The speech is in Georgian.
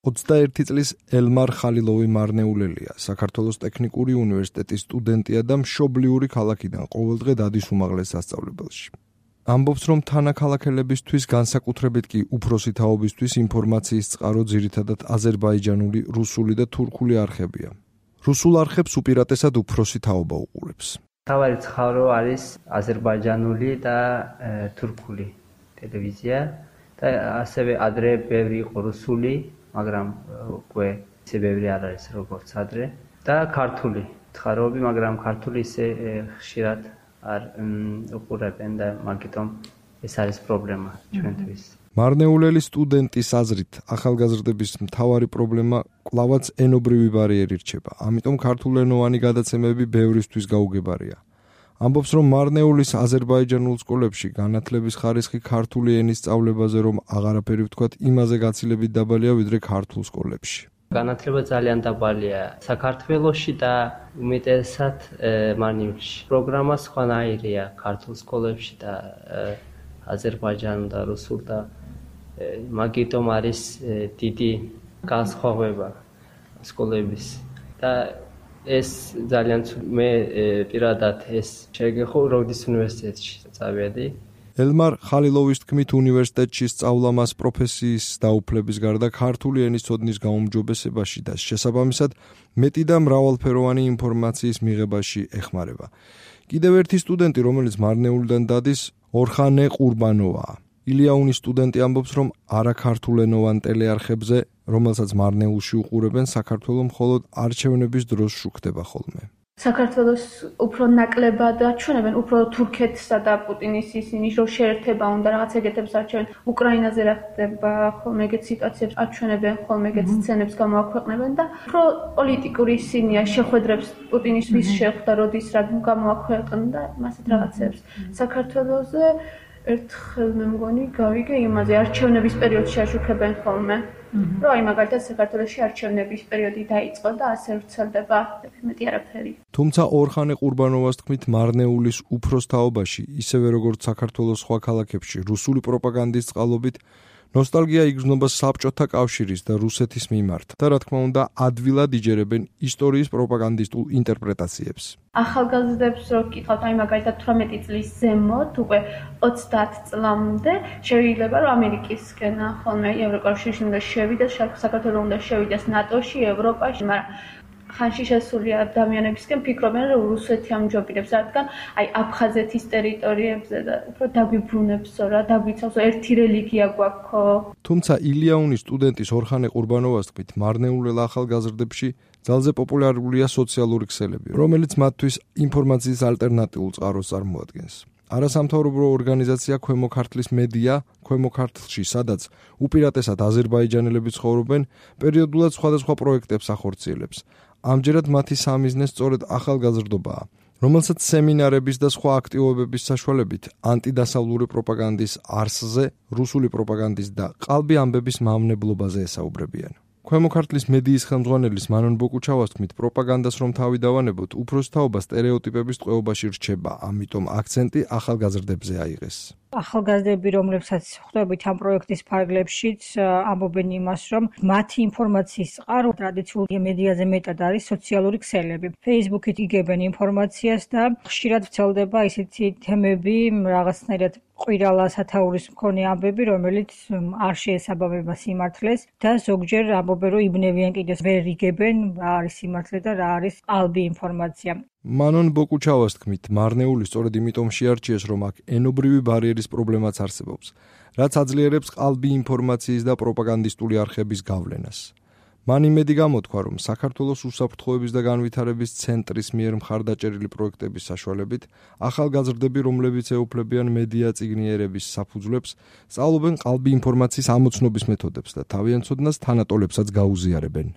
21 წლის ელმარ ხალილოვი მარნეულელია, საქართველოს ტექნიკური უნივერსიტეტის სტუდენტია და მშობლიური ქალაქიდან ყოველდღე დადის უმაღლეს სასწავლებელში. ამბობს, რომ თანაქალაქელებისთვის, განსაკუთრებით კი უფროსი თაობისთვის ინფორმაციის წყარო ძირითადად აზერბაიჯანული, რუსული და თურქული არხებია. რუსულ არხებს უპირატესად უფროსი თაობა უყურებს. თავარი წყარო არის აზერბაიჯანული და თურქული ტელევიზია და ასევე ადრე ბევრი იყო რუსული, მაგრამ უკვე ისე ბევრი არ არის როგორც ადრე და ქართული წყაროები, მაგრამ ქართული ისე ხშირად არ უყურებენ და მაგიტომ ეს არის პრობლემა ჩვენთვის. მარნეულელი სტუდენტის აზრით, ახალგაზრდების მთავარი პრობლემა კვლავაც ენობრივი ბარიერი რჩება. ამიტომ ქართულენოვანი გადაცემები ბევრისთვის გაუგებარია. ამბობს, რომ მარნეულის აზერბაიჯანულ სკოლებში განათლების ხარისხი ქართული ენის სწავლებაზე რომ აღარაფერი ვთქვათ, იმაზე გაცილებით დაბალია ვიდრე ქართულ სკოლებში. განათლება ძალიან დაბალია საქართველოში და უმეტესად მარნეულში. პროგრამა სხვანაირია ქართულ სკოლებში და აზერბაიჯანულ და რუსულ და მაგიტომ არის დიდი განსხვავება სკოლების და ეს ძალიან მე პირადად ეს შეგეხო როდის უნივერსიტეტში წავედი. ელმარ ხალილოვის თქმით, უნივერსიტეტში სწავლა მას პროფესიის დაუფლების გარდა ქართული ენის ცოდნის გაუმჯობესებაში და შესაბამისად მეტი და მრავალფეროვანი ინფორმაციის მიღებაში ეხმარება. კიდევ ერთი სტუდენტი, რომელიც მარნეულიდან დადის, ორხანე ყურბანოვაა. ილიაუნის სტუდენტი ამბობს, რომ არაქართულენოვან ტელეარხებზე, რომელსაც მარნეულში უყურებენ, საქართველოს მხოლოდ არჩევნების დროს შუქდება ხოლმე. საქართველოს უფრო ნაკლებად აჩვენებენ, უფრო თურქეთსა და პუტინის ისინი რომ შეერთება უნდა რაღაც ეგეთებს არჩევენ. უკრაინაზე რა ხდება, ხოლმე ეგეთ სიტუაციებს აჩვენებენ, ხოლმე ეგეთ სცენებს გამოაქვეყნებენ და უფრო პოლიტიკური ისინია შეხვედრებს პუტინის ვის შეხვდა, როდის რა გამოაქვეყნდა, მასეთ რაღაცებს. საქართველოზე ერთხელ მე მგონი გავიგე იმაზე არჩევნების პერიოდში აშუქებენ ხოლმე. რომ აი მაგალითად საქართველოში არჩევნების პერიოდი დაიწყო და ასე ვრცელდება მეტი არაფერი. თუმცა ორხანე ყურბანოვას თქმით, მარნეულის უფროს თაობაში, ისევე როგორც საქართველოს სხვა ქალაქებში, რუსული პროპაგანდის წყალობით ნოსტალგია იგრძნობა საბჭოთა კავშირის და რუსეთის მიმართ და რა თქმა უნდა ადვილად იჯერებენ ისტორიის პროპაგანდისტულ ინტერპრეტაციებს. ახალგაზრდებს რო გკითხავთ, აი მაგალითად 18 წლის ზემოთ, უკვე 30 წლამდე შეიძლება რომ ამერიკისკენ ხოლმე ევროკავშირში უნდა შევიდეს, საქართველოს უნდა შევიდეს ნატოში, ევროპაში, მაგრამ ხანში შესული ადამიანებისკენ ფიქრობენ, რომ რუსეთი ამჯობინებს, რადგან აი აფხაზეთის ტერიტორიებზე და უფრო დაგვიბრუნებსო რა, დაგვიცავსო, ერთი რელიგია გვაქვს. თუმცა ილიაუნის სტუდენტის ორხანე ყურბანოვას თქმით, მარნეულელ ახალგაზრდებში ძალზე პოპულარულია სოციალური ქსელები, რომელიც მათთვის ინფორმაციის ალტერნატიულ წყაროს წარმოადგენს. არასამთავრობო ორგანიზაცია ქვემო ქართლის მედია, ქვემო ქართლში, სადაც უპირატესად აზერბაიჯანელები ცხოვრობენ, პერიოდულად სხვადასხვა პროექტებს ახორციელებს. ამჯერად მათი სამიზნე სწორედ ახალგაზრდობაა, რომელსაც სემინარების და სხვა აქტივობების საშუალებით ანტიდასავლური პროპაგანდის არსზე, რუსული პროპაგანდის და ყალბი ამბების მავნებლობაზე ესაუბრებიან. ქვემო ქართლის მედიის ხელმძღვანელის მანონ ბოკუჩავას თქმით, პროპაგანდას რომ თავი დავანებოთ, უფროსი თაობა სტერეოტიპების ტყვეობაში რჩება, ამიტომ აქცენტი ახალგაზრდებზე აიღეს. ახალგაზრდები, რომლებსაც ხვდებით ამ პროექტის ფარგლებშიც, ამბობენ იმას, რომ მათი ინფორმაციის წყარო ტრადიციულ მედიაზე მეტად არის სოციალური ქსელები. Facebook-ით იგებენ ინფორმაციას და ხშირად ვრცელდება ისეთი თემები, რაღაცნაირად ყვირალა სათაურის მქონე ამბები, რომელიც არ შეესაბამება სიმართლეს და ზოგჯერ ამბობენ, რომ იბნევიან კიდეს ვერ იგებენ, რა არის სიმართლე და რა არის ყალბი ინფორმაცია. მანონ ბოკუჩავას თქმით, მარნეული სწორედ იმიტომ შეარჩიეს, რომ აქ ენობრივი ბარიერის პრობლემაც არსებობს, რაც აძლიერებს ყალბი ინფორმაციის და პროპაგანდისტული არხების გავლენას. მან იმედი გამოთქვა, რომ საქართველოს უსაფრთხოების და განვითარების ცენტრის მიერ მხარდაჭერილი პროექტების საშუალებით ახალგაზრდები, რომლებიც ეუფლებიან მედია წიგნიერების საფუძვლებს, სწავლობენ ყალბი ინფორმაციის ამოცნობის მეთოდებს და თავიანთ ცოდნას თანატოლებსაც გაუზიარებენ.